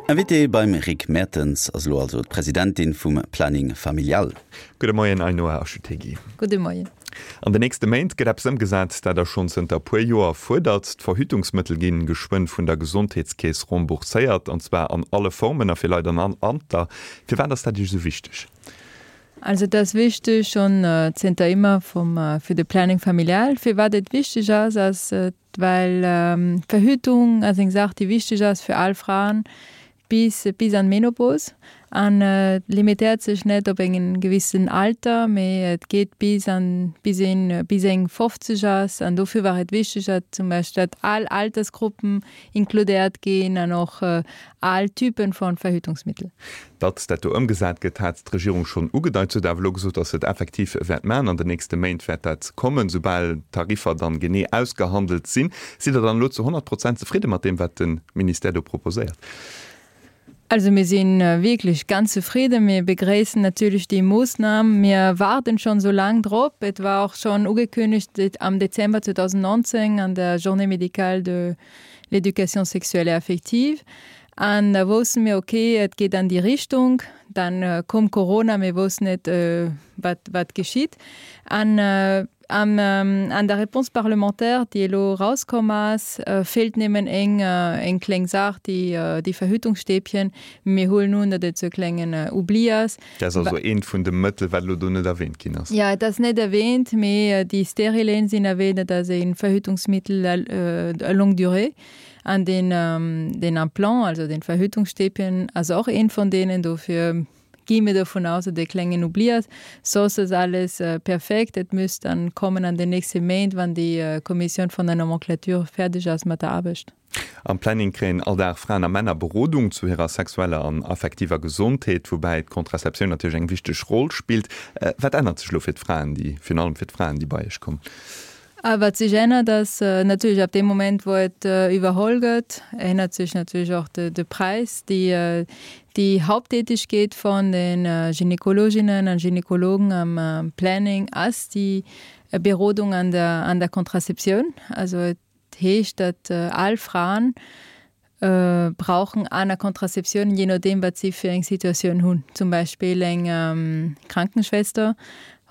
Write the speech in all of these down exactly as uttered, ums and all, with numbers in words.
Invité beim Rick Mertens ass elo also d'Presidentin vum Planning Familial. Gudde Moien Ainhoa Achutegui. Gudde Moien. An den nächste Méint gëtt eppes ëmgesat, dat Der schonn zënter e puer Joer fuerdert. D'Verhütungsmëttel ginn geschwënn vun der Gesondheetskeess rembourséiert, an zwar an alle Formen a fir Leit an all Alter. Firwat ass dat Iech esou wichteg? Also dat ass wichteg schonn zënter ëmmer vum fir de Planning familial. Firwat et wichteg ass, ass well d'Verhütung ass eng Saach déi wichteg ass fir all Fraen bis bis an d'Menopos an et limitéiert sech net op eng gewissen Alter, mee et geet bis an bis een bis eng fofzeg ass an dofir war et wichteg, datt zum Beispill datt all Altersgruppen inkludéiert ginn an och all Typen von Verhütungsmittel. Datt dat do ëmgesat gëtt, hat d'Regierung schonn ugedeit. Se huet awer elo gesot, datt se et effektiv wäert maachen. An den nächste Méint wäert dat kommen, soubal d'Tariffer dann genee ausgehandelt sinn. Sidd Der dann elo zu honnert Prozent zefridde mat deem, wat de Ministère do proposéiert? Also mir si wierklech ganz zefridden. Mir begréissen natierlech déi Moossnam. Mir waarden schonn esou laang drop. Et war och schonn ugekünnegt am Dezember zweedausendnonzéng an der Journée médicale de l'éducation sexuelle et affective. An da wousste mir, okay, et geet an déi Richtung. Dann koum Corona, mir woussten net, wat, wat geschitt. An an an der Réponse parlementaire, déi elo erauskomm ass, feelt némmen eng, eng kleng Saach, déi, déi Verhütungsstäbchen. Mir huelen un, datt et sou e klengen Oubli ass. Dat ass also eent vun de Mëttel, wat elo do net erwähnt ginn ass. Jo, et ass net erwähnt, mee déi Sterilen sinn erwähnt. Dat ass e Verhütungsmittel à longue durée. An den, den Implant, also den Verhütungsstäbchen, ass och eent vun deenen. Dofir gi mir dovun aus, datt e klengen Oubli ass. Soss ass alles perfekt. Et müsst dann kommen an den nächste Méint, wann déi Kommissioun vun der Nomenclature fäerdeg ass mat der Aarbecht. Am Planning kréien all Dag Fraen a Männer Berodung zu hirer sexueller an affektiver Gesondheet, woubäi d'Kontraceptioun natierlech eng wichteg Roll spillt. Wat ännert sech elo fir d'Fraen, déi, virun allem fir d'Fraen, déi bei Iech kommen? A wat sech ännert, ass natierlech ab deem Moment, wou et iwwerholl gëtt, ännert sech natierlech och de Präis. Déi, déi Haupttätigkeet vun de Gynekologinnen a Gynekologen am Planning ass déi Berodung an der, an der Contraceptioun. Also et heescht, datt all Fraen brauchen aner Contraceptioun, je nodeem wat si fir eng Situatioun hunn. Zum Beispill eng Krankenschwester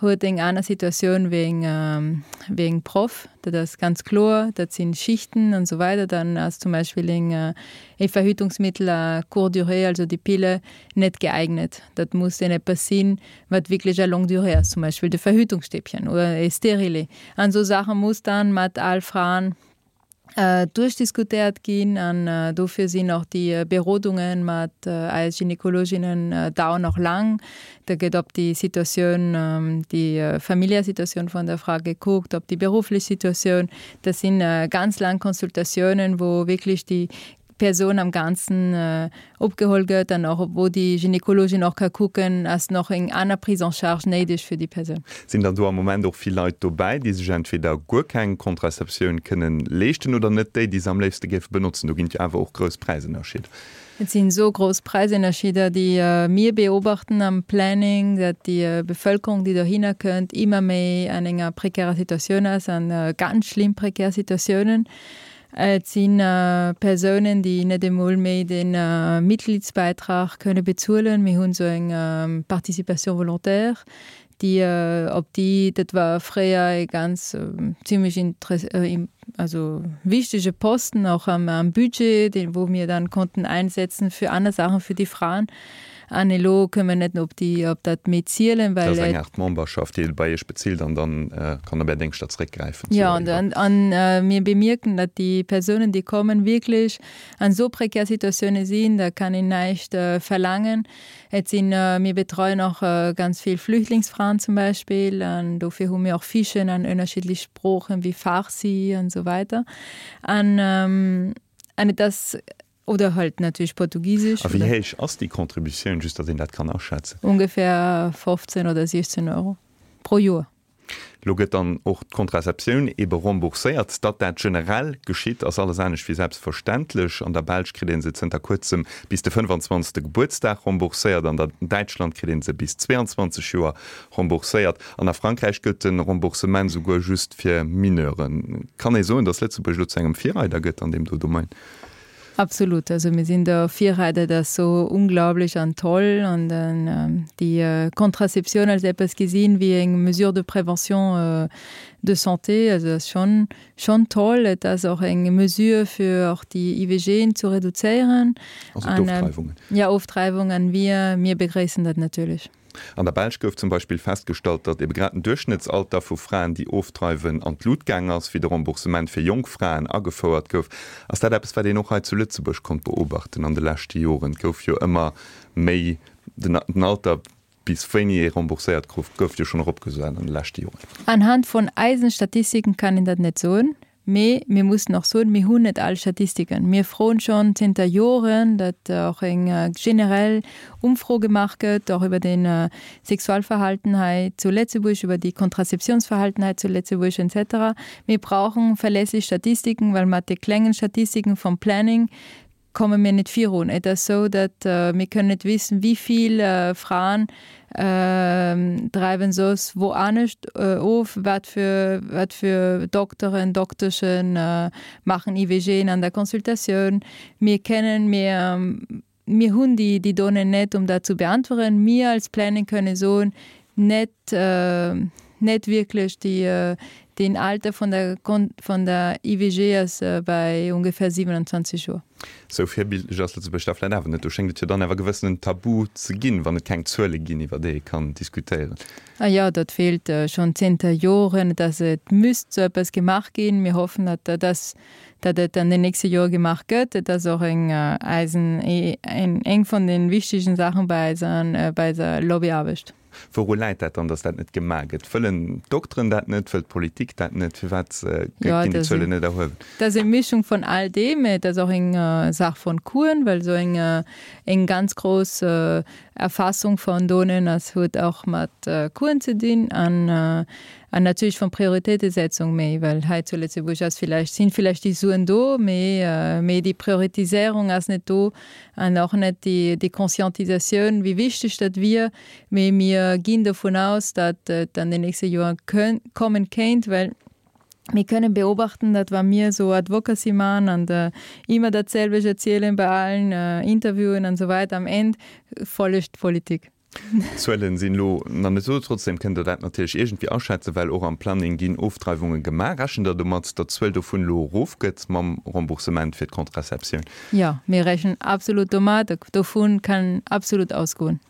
huet eng aner Situatioun wéi eng, wéi eng Proff. Dat ass ganz kloer, dat sinn Schichten an esou weider. Dann ass zum Beispill eng, e Verhütungsmittel à courte durée, also déi Pille, net geeignet. Dat muss dann eppes sinn, wat wierklech à longue durée ass, zum Beispill de Verhütungsstäbchen oder e Stérilet. An esou Saache muss dann mat all Fraen duerchdiskutéiert ginn an dofir sinn och déi Berodunge mat eis Gynekologinnen dauern och laang. Da gëtt op déi Situatioun, déi familiär Situatioun vun der Fra gekuckt, op déi berufflech Situatioun. Dat si ganz laang Consultatiounen, wou wierklech déi Persoun am Ganzen opgeholl gëtt an och wou déi Gynekologin och ka kucken, ass nach eng aner Prise en charge néideg fir déi Persoun. Sinn dann do am Moment och vill Leit dobäi, déi sech entweder guer keng Contraceptioun kënnen leeschten oder net déi, déi se am léifste géife benotzen? Do ginn et jo awer och grouss Präisënnerscheeder. Et sinn esou grouss Präisënnerscheeder, déi mir beobachten am Planning, datt déi Bevëlkerung, déi dohinner kënnt, ëmmer méi an enger prekärer Situatioun ass, an ganz schlimm prekär Situatiounen. Et si Persounen, déi net emol méi de Mitgliedsbeitrag kënne bezuelen. Mir hunn esou eng Participation volontaire, déi op déi, dat war fréier e ganz zimlech also wichtege Posten och am Budget, deen wou mir dann konnten einsetzen fir aner Saachen fir déi Fraen. An elo kënne mer net op déi, op dat méi zielen, well. Dat ass eng Aart Memberschaft, déi ee bei Iech bezilt an dann kann op Är Déngschter zréckgräifen. Jo, an, an mir bemierken, datt déi Persounen, déi kommen, wierklech an esou prekär Situatioune sinn, da kann een näischt verlaangen. Et sinn, mir betreuen och ganz vill Flüchtlingsfraen zum Beispill an dofir hu mir och Fichen an ënnerschiddlech Sproochen wéi Farsi an esou weider. An, an et ass. Oder halt natierlech Portugisesch. A wéi héich ass déi Contributioun, just datt een dat kann aschätzen? Ongefähr fofzéng oder siechzéng Euro pro Joer. Lo gëtt dann och d'Kontraceptioun ebe rembourséiert. Datt dat generell geschitt, ass alles anescht wéi selbstverständlech. An der Belsch kritt ee se zënter kuerzem bis de fënnefanzwanzegste Gebuertsdag rembourséiert, an der Däitschland kritt ee se bis zweeanzwanzeg Joer rembourséiert an a Frankräich gëllt de Remboursement souguer just fir Mineuren. Kann ee soen, datt Lëtzebuerg elo zu engem Virreider gëtt an deem do Domaine? Absolut, also mir sinn do Virreider, dat ass sou unglaublich an toll an dann déi Contraceptioun als eppes gesinn wéi eng Mesure de prévention de santé, also dat ass schonn schonn toll. Et ass och eng Mesure fir och déi IVGen ze reduzéieren. Also d'Ofdreiwungen. Ja, Ofdreiwung an wir mir begréissen dat natierlech. An der Belsch gouf zum Beispill festgestallt, datt ebe grad den Duerchschnëttsalter vu Fraen, déi ofdreiwen, an d'Lut gaang ass, wéi de Remboursement fir jonk Fraen agefouert gouf. Ass dat eppes, wat een och hei zu Lëtzebuerg konnt beobachten an de leschte Joren? Et gouf jo ëmmer méi, den Alter, bis wéini ee rembourséiert gouf, gouf jo schonn eropgesat an de leschte Joren. Anhand vun eisen Statistiken kann een dat net soen. Mee mir mussen och soen, mir hunn net all Statistiken. Mir froen schonn zënter Joren, datt och eng generell Umfro gemaach gëtt, och iwwer den Sexualverhalten hei zu Lëtzebuerg, iwwer déi Kontrazeptionsverhalten hei zu Lëtzebuerg et cetera. Mir brauchen verlässlich Statistiken, well mat de klengen Statistiken vom Planning komme mir net virun. Et ass esou, datt mir kënnen net wissen, wéi vill Fraen dreiwen soss wou anescht of, wat fir wat fir Dokteren, Dokteschen maachen IVGen an der Consultatioun. Mir kennen, mir mir hunn déi déi Donnéeën net, um dat zu beantweren. Mir als Planning kënne soen, net net wierklech déi den Alter vun der vun der IVG ass bei ungefähr siewenundzwanzeg Joer. Sou virbildlech ass Lëtzebuerg da vläicht awer net. Do schéngt et jo dann awer gewëssenen Tabu ze ginn, wann et keng Zuele ginn, iwwer déi ee kann diskutéieren. Ah jo, dat feelt schonn zënter Joren, dass et müsst sou eppes gemaach ginn. Mir hoffen, datt dass datt et an den nächste Joer gemaach gëtt. Et ass och eng eisen eng vun den wichtegen Saachen bei eiser bei eiser Lobbyaarbecht. Wouru läit dat dann, datt dat net gemaach gëtt? Wëllen d'Dokteren dat net? Wëll d'Politik dat net? Firwat ginn déi Zuelen net erhuewen? Dat ass eng Mischung vun all deem. Et ass och eng Saach vun Coûten, well esou eng eng ganz grouss Erfassung vun Donnéeën ass huet och mat Coûten ze dinn an an natierlech vun Prioritéitesetzung méi, well hei zu Lëtzebuerg ass villäicht sinn villäicht déi Suen do, mee mee déi Prioritiséierung ass net do an och net déi déi Conscientisatioun, wéi wichteg dat wier. Mee mir ginn dovun aus, datt et an den nächste Joer kënn kommen kéint, well mir kënnen beobachten, datt wa mir esou Advocacy man an immer datselwecht erzielen bei allen Interviewen an esou weider, am Enn follegt d'Politik. D'Zuelen sinn elo nach net esou. Trotzdem kënnt Der dat natierlech iergendwéi aschätzen, well och am Planning ginn Ofdreiwunge gemaach. Rechent Der domat, datt d'Zuel dovun elo erofgëtt mam Remboursement fir d'Contraceptioun? Jo, mir rechnen absolut domat. Dovun kann absolut ausgoen.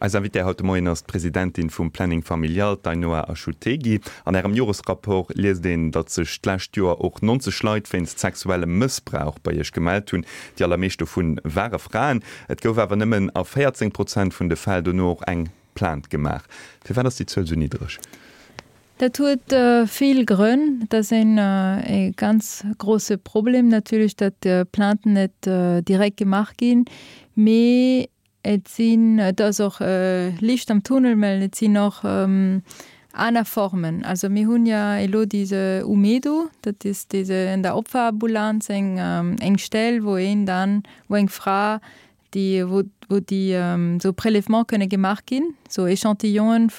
Eis Invitée haut de Moien ass d'Presidentin vum Planning Familial, d'Ainhoa Achutegui. An Ärem Joresrapport liest een, datt sech d'lescht Joer och neunzeg Leit wéinst sexuellem Mëssbrauch bei Iech gemellt hunn. Déi allermeescht dovu ware Fraen. Et gouf awer nëmmen a véierzéng Prozent vun de Fäll dono och eng Plainte gemaach. Firwat ass déi Zuel esou niddereg? Dat huet vill Grënn. Dat ass een e ganz grosse Problem natierlech, datt Plainten net direkt gemaach ginn. Mee et sinn, et ass och Licht am Tunnel, well et sinn och aner Formen. Also mir hunn ja elo diese Umedo, dat is diese an der Opferambulanz eng eng Stell, wou een dann, wou eng Fra, déi wou wou déi esou Prélèvements kënne gemaach ginn, esou Échantillonen,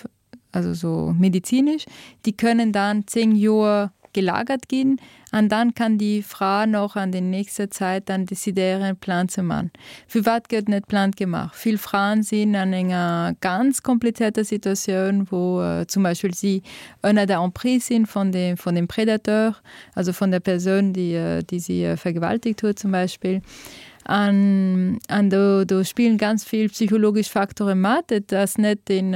also esou medizinisch, déi kënnen dann zéng Joer gelagert ginn an dann kann déi Fra noch an den nächster Zäit dann decidéieren Plainte ze man. Firwat gëtt net Plainte gemaach? Vill Fraen sinn an enger ganz komplizierter Situatioun, wou zum Beispill si ënner der Emprise sinn von dem, von dem Predateur, also von der Persoun, déi, déi si vergewaltigt huet zum Beispill. An, an do, do spillen ganz vill psychologesch Faktore mat. Et ass net den,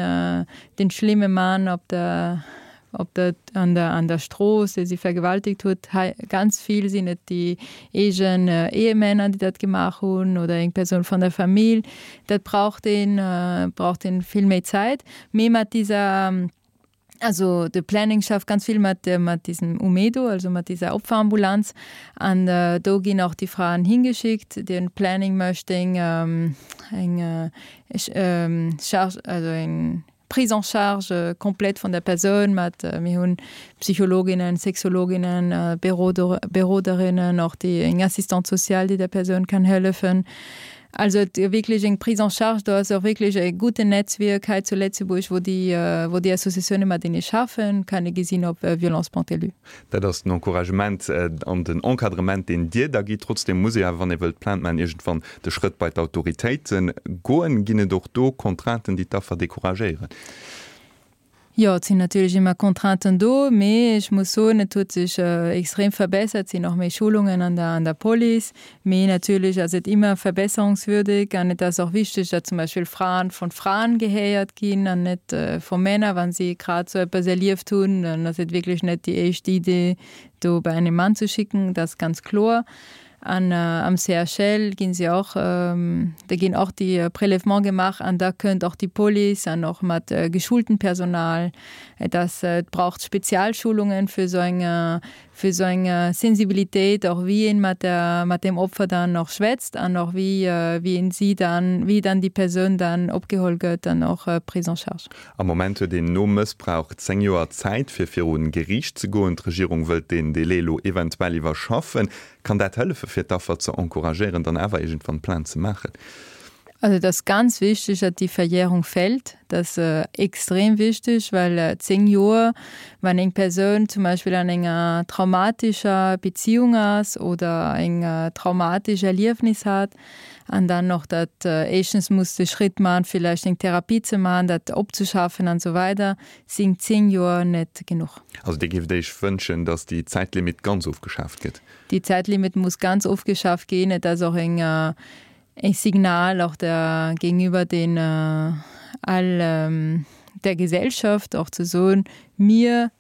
den schlimme Mann op der, op der, an der, an der Strooss, dee si vergewaltigt huet. Hei ganz vill sinn et déi eegen Ehemänner, déi dat gemaach hunn oder eng Persoun vun der Famill. Dat braucht een, braucht een vill méi Zäit. Mee mat dieser, also de Planning schafft ganz vill mat, mat diesem Umedo, also mat dieser Opferambulanz. An do ginn och déi Fraen hingeschickt. Den Planning mécht eng, eng Charge, also eng Prise en charge komplett vun der Persoun mat, mir hunn Psychologinnen, Sexologinnen, Beroderinnen, och déi eng Assistante sociale, déi der Persoun kann hëllefen. Also et wierklech eng Prise en charge, do ass och wierklech e gudden Netzwierk hei zu Lëtzebuerg, wou déi, wou déi Associatioune matenee schaffen, kann ee gesinn op violence.lu. Dat ass den Encouragement an den Encadrement, deen Dir da gitt. Trotzdeem muss ee awer, wann ee wëllt Plainte maachen, iergendwann de Schrëtt bei d'Autoritéite goen. Ginn et och do Contrainten, déi d'Affer decouragéieren? Jo, et sinn natierlech ëmmer Contrainten do, mee ech muss soen, et huet sech extrem verbessert, et sinn och méi Schulungen an der an der Police, mee natierlech ass et ëmmer verbesserungswürdig an et ass och wichteg, datt zum Beispill Fraen von Fraen gehéiert ginn an net vu Männer, wa si grad sou eppes erlieft hunn, dann ass et wierklech net déi éischt Idee, do bei einen Mann ze schicken, dat ass ganz kloer. An am C H L ginn si och, da ginn och déi Prélèvement gemaach an da kënnt och déi Police an och mat geschultem Personal. Et ass, et braucht Spezialschulungen fir esou eng, fir esou eng Sensibilitéit och wéi een mat der, mat dem Opfer dann och schwätzt an och wéi, wéi een si dann, wéi dann déi Persoun dann opgeholl gëtt an och prise en charge. Am Moment huet een nom Mëssbrauch zéng Joer Zäit fir virun Geriicht ze goen. D'Regierung wëllt deen Delai elo eventuell iwwerschaffen. Kann dat hëllefe fir d'Affer ze encouragéieren, dann awer iergendwann Plainte ze maachen? Also et ass ganz wichteg, datt déi Verjährung fält. Dat ass extrem wichteg, well zéng Joer, wann eng Persoun zum Beispill an enger traumatescher Beziehung ass oder eng traumatesch Erliefnis hat an dann och dat éischtens muss de Schritt maachen, villäicht eng Therapie ze maachen, dat opzeschaffen an esou weider, sinn zéng Joer net genuch. Also Dir géift Iech wënschen, datt déi Zäitlimit ganz ofgeschaaft gëtt? Déi Zäitlimit muss ganz ofgeschaaft ginn. Et ass och eng e Signal och der gegenüber den all der Gesellschaft och ze soen, mir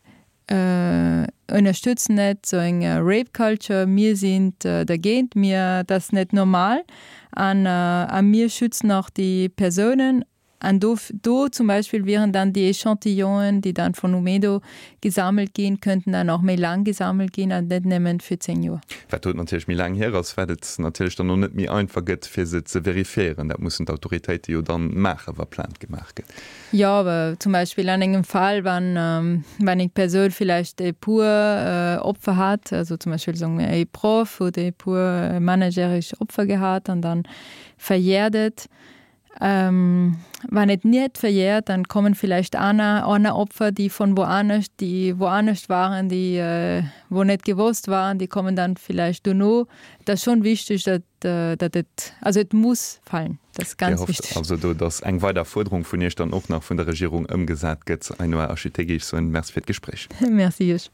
ënnerstëtzen net sou eng Rape Culture, mir sinn dergéint, mir, dat ass net normal an a mir schützen och déi Persounen. An do, do zum Beispill wieren dann déi Echantillonen, déi dann vun Umedo gesammelt ginn, könnten dann och méi laang gesammelt ginn an net nëmmen fir zéng Joer. Wat do natierlech méi laang hier ass, wat et natierlech dann och net méi einfach gëtt, fir se ze verifiéieren. Dat mussen d'Autoritéite jo dann maachen, wa Plainte gemaach gëtt. Jo, awer zum Beispill an engem Fall, wann, wann eng Persoun villäicht e puer Opfer hat, also zum Beispill soen mir e Proff huet e puer mannerjäreg Opfer gehat an dann verjährt et, Ähm, wann et net verjährt, dann kommen vielleicht aner, aner Opfer, déi von woanescht, déi woanescht waren, déi äh, wo net gewosst waren, déi kommen dann vielleicht dono. Dat ass schon wichteg, dat, äh, dat et, also et muss fallen. Dat ass ganz Dir hofft wichteg. also do, dass eng weider Fuerderung vun Iech dann och nach vun der Regierung ëmgesat gëtt. Ainhoa Architegui, ech soen Merci fir d'Gespréich. Merci Iech.